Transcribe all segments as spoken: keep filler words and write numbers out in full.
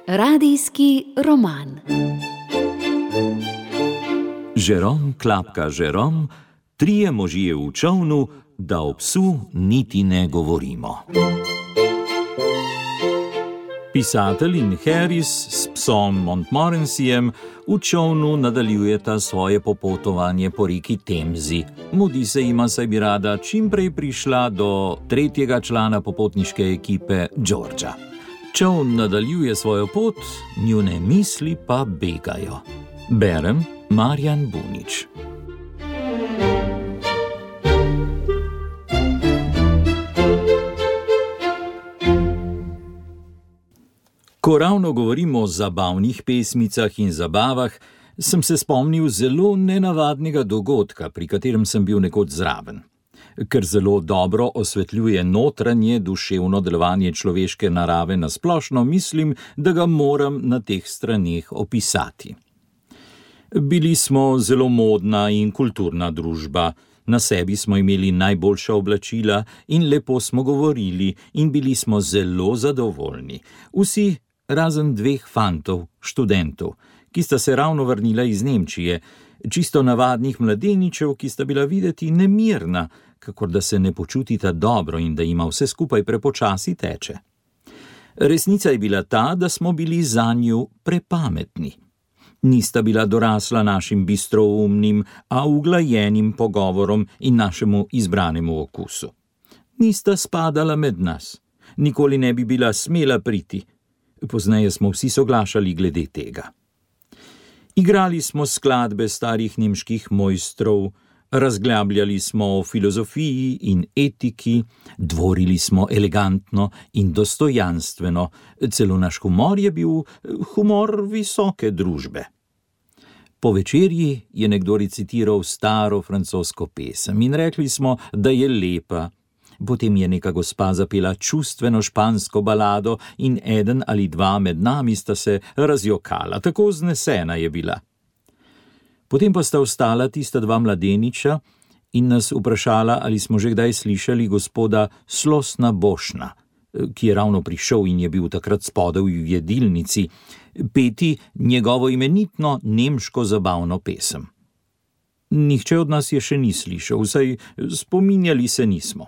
Radijski roman. Žerom klapka Žerom, trije možje v čolnu, da o psu niti ne govorimo. Pisatelj in Harris s psom Montmorencyjem v čolnu nadaljujeta svoje popotovanje po reki Temzi. Mudi se jima, saj bi rada čim prej prišla do tretjega člana popotniške ekipe, Georgea. Čoln nadaljuje svojo pot, njune misli pa begajo. Berem Marjan Bunič. Ko ravno govorimo o zabavnih pesmicah in zabavah, sem se spomnil zelo nenavadnega dogodka, pri katerem sem bil nekoč zraven. Ker zelo dobro osvetljuje notranje duševno delovanje človeške narave na splošno, mislim, da ga moram na teh straneh opisati. Bili smo zelo modna in kulturna družba, na sebi smo imeli najboljša oblačila in lepo smo govorili in bili smo zelo zadovoljni. Vsi razen dveh fantov, študentov, ki sta se ravno vrnila iz Nemčije, čisto navadnih mladeničev, ki sta bila videti nemirna, kakor da se ne počutita dobro in da ima vse skupaj prepočasi teče. Resnica je bila ta, da smo bili zanju prepametni. Nista bila dorasla našim bistroumnim, a uglajenim pogovorom in našemu izbranemu okusu. Nista spadala med nas, nikoli ne bi bila smela priti. Pozneje smo vsi soglašali glede tega. Igrali smo skladbe starih nemških mojstrov, razglabljali smo o filozofiji in etiki, dvorili smo elegantno in dostojanstveno, celo naš humor je bil humor visoke družbe. Po večerji je nekdo recitiral staro francosko pesem in rekli smo, da je lepa. Potem je neka gospa zapela čustveno špansko balado in eden ali dva med nami sta se razjokala, tako vznesena je bila. Potem pa sta ostala tista dva mladeniča in nas vprašala, ali smo že kdaj slišali gospoda Slosna Bošna, ki je ravno prišel in je bil takrat spodaj v jedilnici, peti njegovo imenitno nemško zabavno pesem. Nihče od nas je še ni slišal, vsaj spominjali se nismo.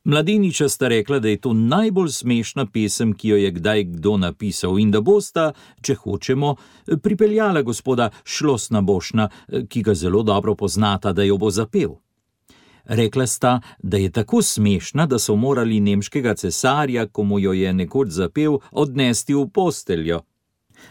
Mladeniča sta rekla, da je to najbolj smešna pesem, ki jo je kdaj kdo napisal in da bosta, če hočemo, pripeljala gospoda Slosna Bošna, ki ga zelo dobro poznata, da jo bo zapel. Rekla sta, da je tako smešna, da so morali nemškega cesarja, ko mu jo je nekoč zapel, odnesti v posteljo.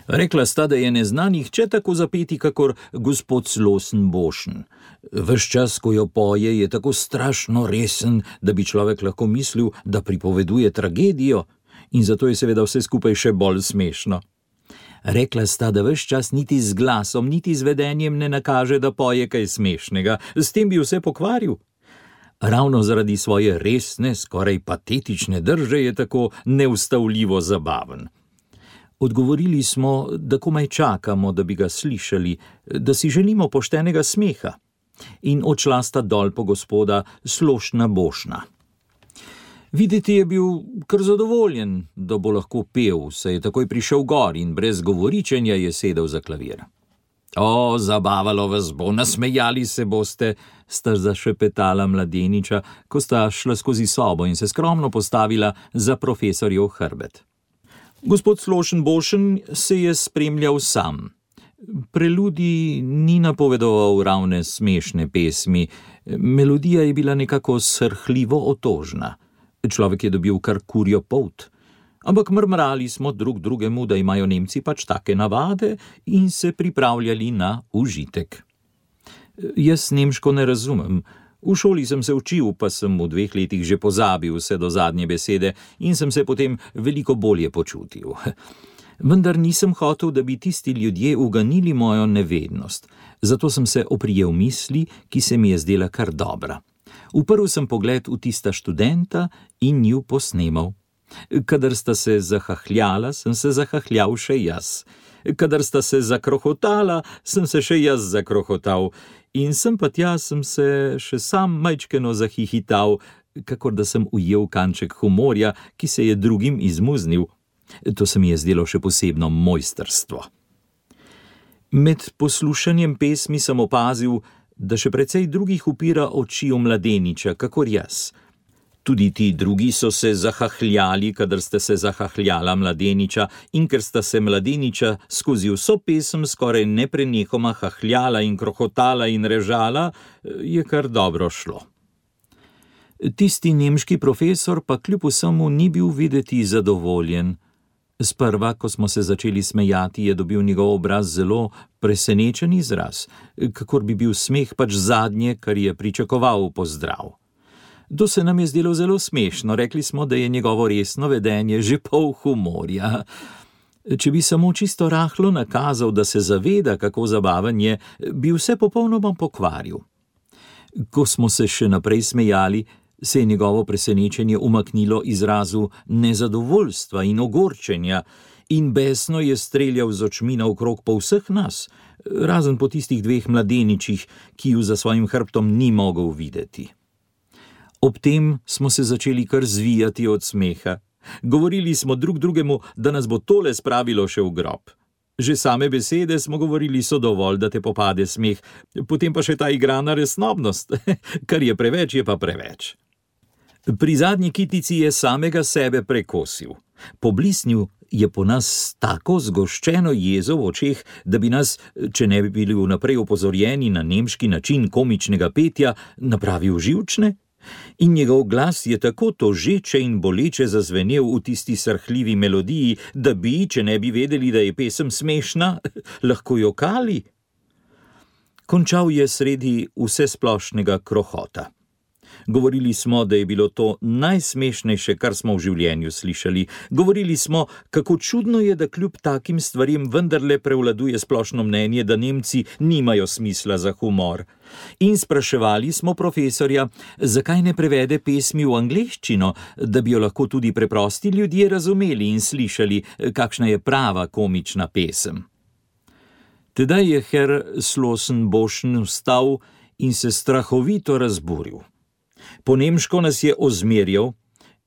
Rekla sta, da je ne zna nihče tako zapeti, kakor gospod Slosen Bošen. Ves čas, ko jo poje, je tako strašno resen, da bi človek lahko mislil, da pripoveduje tragedijo, in zato je seveda vse skupaj še bolj smešno. Rekla sta, da ves čas niti z glasom, niti z vedenjem ne nakaže, da poje kaj smešnega, s tem bi vse pokvaril. Ravno zaradi svoje resne, skoraj patetične drže je tako neustavljivo zabaven. Odgovorili smo, da komaj čakamo, da bi ga slišali, da si želimo poštenega smeha, in odšla sta dol po gospoda Slošna Bošna. Videti je bil kar zadovoljen, da bo lahko pel, saj je takoj prišel gor in brez govoričenja je sedel za klavir. O, zabavalo vas bo, nasmejali se boste, sta zašepetala mladeniča, ko sta šla skozi sobo in se skromno postavila za profesorjev hrbet. Gospod Slošen Bošen se je spremljal sam. Preludij ni napovedoval ravne smešne pesmi, melodija je bila nekako srhljivo otožna. Človek je dobil kar kurjo polt, ampak mrmrali smo drug drugemu, da imajo Nemci pač take navade in se pripravljali na užitek. Jaz nemško ne razumem. V šoli sem se učil, pa sem v dveh letih že pozabil vse do zadnje besede in sem se potem veliko bolje počutil. Vendar nisem hotel, da bi tisti ljudje uganili mojo nevednost, zato sem se oprijel misli, ki se mi je zdela kar dobra. Uprl sem pogled v tista študenta in ju posnemal. Kadar sta se zahahljala, sem se zahahljal še jaz. Kadar sta se zakrohotala, sem se še jaz zakrohotal. In sem pa tja sem se še sam majčkeno zahihital, kakor da sem ujel kanček humorja, ki se je drugim izmuznil. To se mi je zdelo še posebno mojstrstvo. Med poslušanjem pesmi sem opazil, da še precej drugih upira oči v mladeniča, kakor jaz. Tudi ti drugi so se zahahljali, kadar ste se zahahljala mladeniča, in ker sta se mladeniča skozi vso pesem skoraj neprenehoma hahljala in krohotala in režala, je kar dobro šlo. Tisti nemški profesor pa kljub vsemu ni bil videti zadovoljen. Sprva, ko smo se začeli smejati, je dobil njegov obraz zelo presenečen izraz, kakor bi bil smeh pač zadnje, kar je pričakoval v pozdrav. To se nam je zdelo zelo smešno, rekli smo, da je njegovo resno vedenje že pol humorja. Če bi samo čisto rahlo nakazal, da se zaveda, kako zabaven je, bi vse popolnoma pokvaril. Ko smo se še naprej smejali, se je njegovo presenečenje umaknilo izrazu nezadovoljstva in ogorčenja in besno je streljal z očmi naokrog po vseh nas, razen po tistih dveh mladeničih, ki ju za svojim hrbtom ni mogel videti. Ob tem smo se začeli kar zvijati od smeha. Govorili smo drug drugemu, da nas bo tole spravilo še v grob. Že same besede smo govorili so dovolj, da te popade smeh, potem pa še ta igrana resnobnost, kar je preveč, je pa preveč. Pri zadnji kitici je samega sebe prekosil. Poblisnil je po nas tako zgoščeno jezo v očeh, da bi nas, če ne bi bili vnaprej opozorjeni na nemški način komičnega petja, napravil živčne. In njegov glas je tako tožeče in boleče zazvenel v tisti srhljivi melodiji, da bi, če ne bi vedeli, da je pesem smešna, lahko jokali. Končal je sredi vsesplošnega krohota. Govorili smo, da je bilo to najsmešnejše, kar smo v življenju slišali. Govorili smo, kako čudno je, da kljub takim stvarem vendarle prevladuje splošno mnenje, da Nemci nimajo smisla za humor. In spraševali smo profesorja, zakaj ne prevede pesmi v angleščino, da bi jo lahko tudi preprosti ljudje razumeli in slišali, kakšna je prava komična pesem. Tedaj je Herr Slossenboschen vstal in se strahovito razburil. Po nemško nas je ozmerjal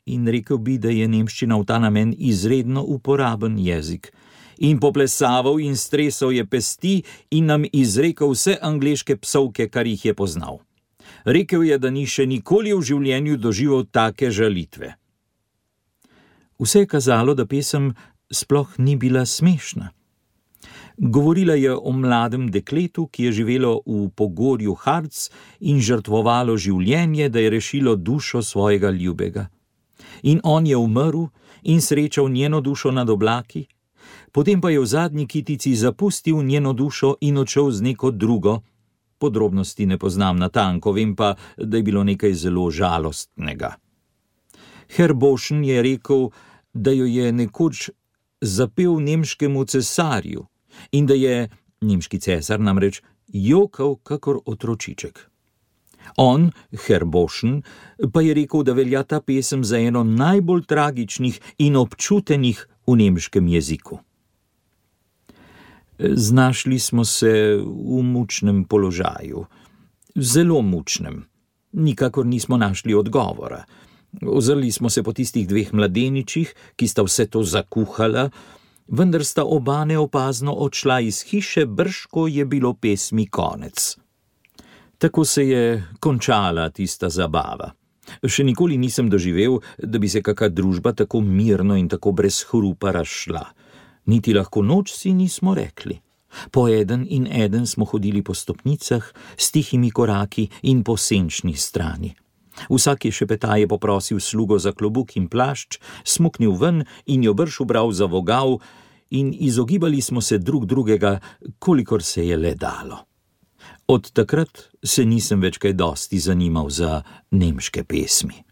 in rekel bi, da je nemščina v ta namen izredno uporaben jezik. In poplesaval in stresal je pesti in nam izrekel vse angleške psovke, kar jih je poznal. Rekel je, da ni še nikoli v življenju doživel take žalitve. Vse je kazalo, da pesem sploh ni bila smešna. Govorila je o mladem dekletu, ki je živelo v pogorju Harz in žrtvovalo življenje, da je rešilo dušo svojega ljubega. In on je umrl in srečal njeno dušo nad oblaki, potem pa je v zadnji kitici zapustil njeno dušo in odšel z neko drugo. Podrobnosti ne poznam natanko, vem pa, da je bilo nekaj zelo žalostnega. Herr Boschen je rekel, da jo je nekoč zapel nemškemu cesarju, in da je, nemški cesar namreč, jokal kakor otročiček. On, Herr Boschen, pa je rekel, da velja ta pesem za eno najbolj tragičnih in občutenih v nemškem jeziku. Znašli smo se v mučnem položaju. Zelo mučnem. Nikakor nismo našli odgovora. Ozrli smo se po tistih dveh mladeničih, ki sta vse to zakuhala, vendar sta oba neopazno odšla iz hiše, brž ko je bilo pesmi konec. Tako se je končala tista zabava. Še nikoli nisem doživel, da bi se kaka družba tako mirno in tako brez hrupa razšla. Niti lahko noč si nismo rekli. Po eden in eden smo hodili po stopnicah, s tihimi koraki in po senčni strani. Vsak je šepetaje poprosil slugo za klobuk in plašč, smuknil ven in jo brž ubral za vogal in izogibali smo se drug drugega, kolikor se je le dalo. Od takrat se nisem več kaj dosti zanimal za nemške pesmi.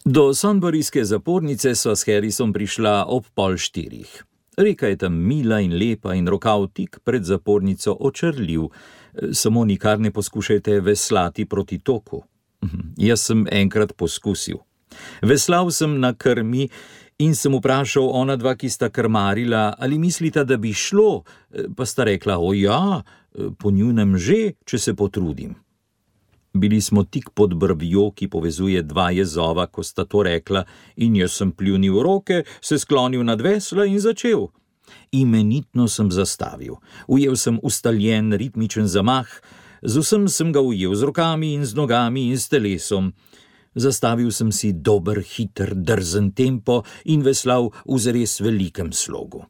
Do Sonburyske zapornice sva s Harrisom prišla ob pol štirih. Reka je tam mila in lepa in rokav tik pred zapornico očrljiv, samo nikar ne poskušajte veslati proti toku. Jaz sem enkrat poskusil. Veslal sem na krmi in sem vprašal ona dva, ki sta krmarila, ali mislita, da bi šlo, pa sta rekla, o ja, po njunem že, če se potrudim. Bili smo tik pod brvjo, ki povezuje dva jezova, ko sta to rekla, in jaz sem pljunil roke, se sklonil nad vesla in začel. Imenitno sem zastavil. Ujel sem ustaljen ritmičen zamah, z vsem sem ga ujel z rokami in z nogami in s telesom. Zastavil sem si dober, hiter, drzen tempo in veslal v zares velikem slogu.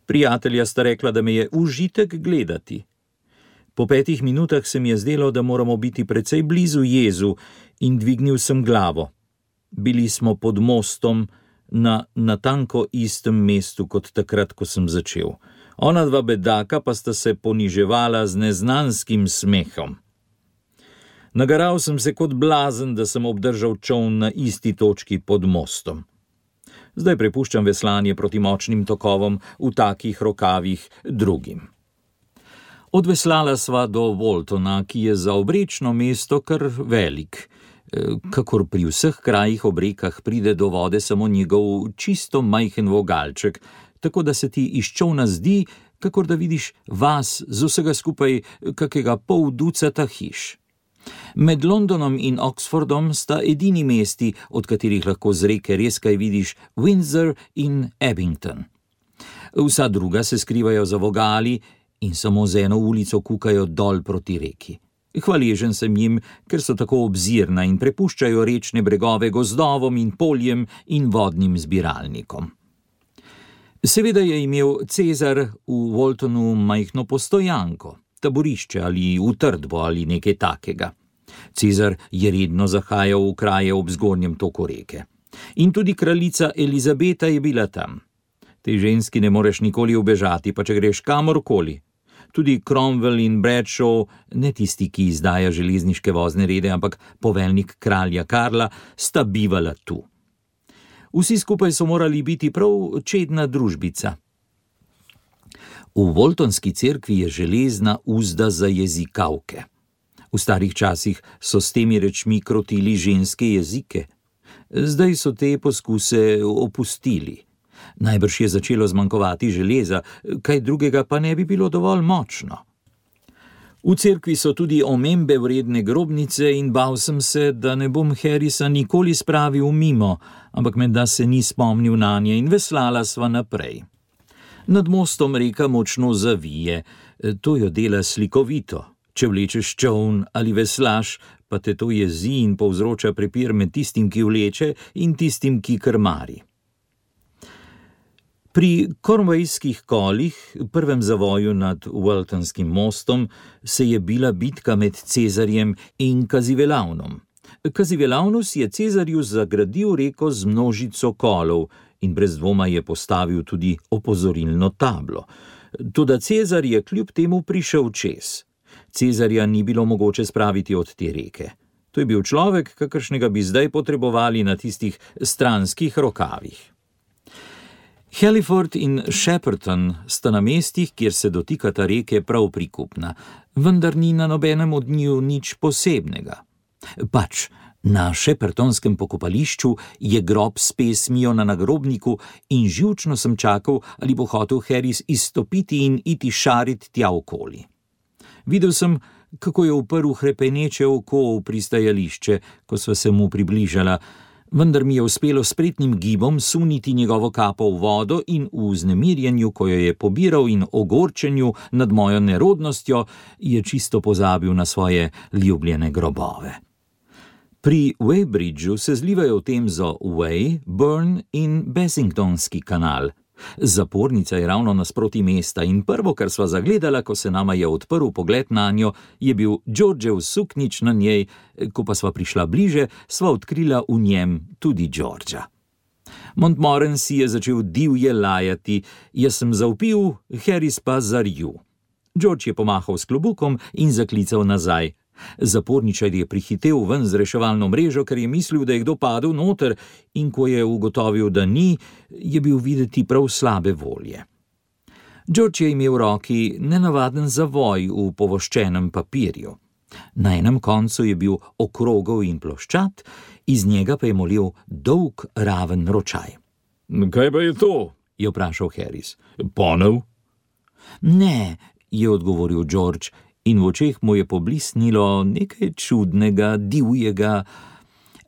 Prijatelja sta rekla, da me je užitek gledati. Po petih minutah se mi je zdelo, da moramo biti precej blizu jezu, in dvignil sem glavo. Bili smo pod mostom na natanko istem mestu kot takrat, ko sem začel. Ona dva bedaka pa sta se poniževala z neznanskim smehom. Nagaral sem se kot blazen, da sem obdržal čoln na isti točki pod mostom. Zdaj prepuščam veslanje proti močnim tokovom v takih rokavih drugim. Odveslala sva do Waltona, ki je za obrečno mesto kar velik. Kakor pri vseh krajih ob rekah pride do vode samo njegov čisto majhen vogalček, tako da se ti iz čolna zdi, kakor da vidiš vas z vsega skupaj kakega pol ducata hiš. Med Londonom in Oxfordom sta edini mesti, od katerih lahko z reke res kaj vidiš, Windsor in Abington. Vsa druga se skrivajo za vogali in samo z eno ulico kukajo dol proti reki. Hvaležen sem jim, ker so tako obzirna in prepuščajo rečne bregove gozdovom in poljem in vodnim zbiralnikom. Seveda je imel Cezar v Waltonu majhno postojanko, taborišče ali utrdbo ali nekaj takega. Cezar je redno zahajal v kraje ob zgornjem toku reke. In tudi kraljica Elizabeta je bila tam. Tej ženski ne moreš nikoli ubežati, pa če greš kamorkoli. Tudi Cromwell in Bradshaw, ne tisti, ki izdaja železniške vozne rede, ampak poveljnik kralja Karla, sta bivala tu. Vsi skupaj so morali biti prav čedna družbica. V Waltonski cerkvi je železna uzda za jezikavke. V starih časih so s temi rečmi krotili ženske jezike. Zdaj so te poskuse opustili. Najbrž je začelo zmanjkovati železa, kaj drugega pa ne bi bilo dovolj močno. V cerkvi so tudi omembe vredne grobnice in bal sem se, da ne bom Harrisa nikoli spravil mimo, ampak menda se ni spomnil nanje in veslala sva naprej. Nad mostom reka močno zavije, to jo dela slikovito. Če vlečeš čoln ali veslaš, pa te to jezi in povzroča prepir med tistim, ki vleče, in tistim, ki krmari. Pri Cornwallskih kolih, prvem zavoju nad Waltonskim mostom, se je bila bitka med Cezarjem in Cazivelavnom. Cazivelavnus je Cezarju zagradil reko z množico kolov in brez dvoma je postavil tudi opozorilno tablo. Toda Cezar je kljub temu prišel čez. Cezarja ni bilo mogoče spraviti od te reke. To je bil človek, kakršnega bi zdaj potrebovali na tistih stranskih rokavih. Halliford in Shepperton sta na mestih, kjer se dotikata reke, prav prikupna, vendar ni na nobenem od njiju nič posebnega. Pač, na Sheppertonskem pokopališču je grob s pesmijo na nagrobniku in živčno sem čakal, ali bo hotel Harris izstopiti in iti šarit tja okoli. Videl sem, kako je uprl hrepeneče oko v pristajališče, ko sva se mu približala, vendar mi je uspelo spretnim gibom suniti njegovo kapo v vodo in v vznemirjenju, ko jo je pobiral, in ogorčenju nad mojo nerodnostjo, je čisto pozabil na svoje ljubljene grobove. Pri Weybridgeu se zlivajo v Temzo Wey, Burn in Basingtonski kanal. Zapornica je ravno nasproti mesta in prvo, kar sva zagledala, ko se nama je odprl pogled nanjo, je bil Georgeov suknjič na njej, ko pa sva prišla bliže, sva odkrila v njem tudi Georgea. Montmorency je začel divje lajati, jaz sem zavpil, Harris pa zarju. George je pomahal s klobukom in zaklical nazaj. Zaporničar je prihitev ven z reševalno mrežo, ker je mislil, da je kdo padel noter, in ko je ugotovil, da ni, je bil videti prav slabe volje. George je imel v roki nenavaden zavoj v povoščenem papirju. Na enem koncu je bil okrogel in ploščat, iz njega pa je molil dolg, raven ročaj. Kaj pa je to? Je vprašal Harris. Ponev? Ne, je odgovoril George, in v očeh mu je poblisnilo nekaj čudnega, divjega.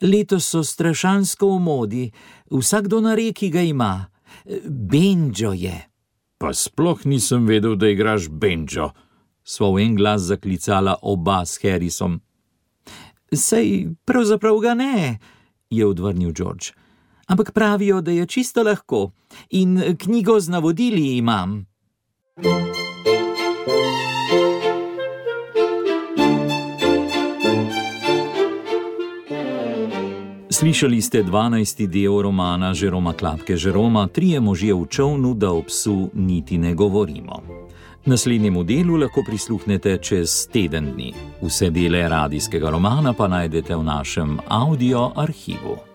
Letos so strašansko v modi, vsakdo na reki ga ima. Benjo je. Pa sploh nisem vedel, da igraš benjo. Sva v en glas zaklicala oba s Harrisom. Sej, pravzaprav ga ne, je odvrnil George. Ampak pravijo, da je čisto lahko in knjigo z navodili imam. Slišali ste dvanajsti del romana Jeroma Klapke Jeroma Trije možje v čolnu, da o psu niti ne govorimo. Naslednjemu delu lahko prisluhnete čez teden dni. Vse dele radijskega romana pa najdete v našem audio arhivu.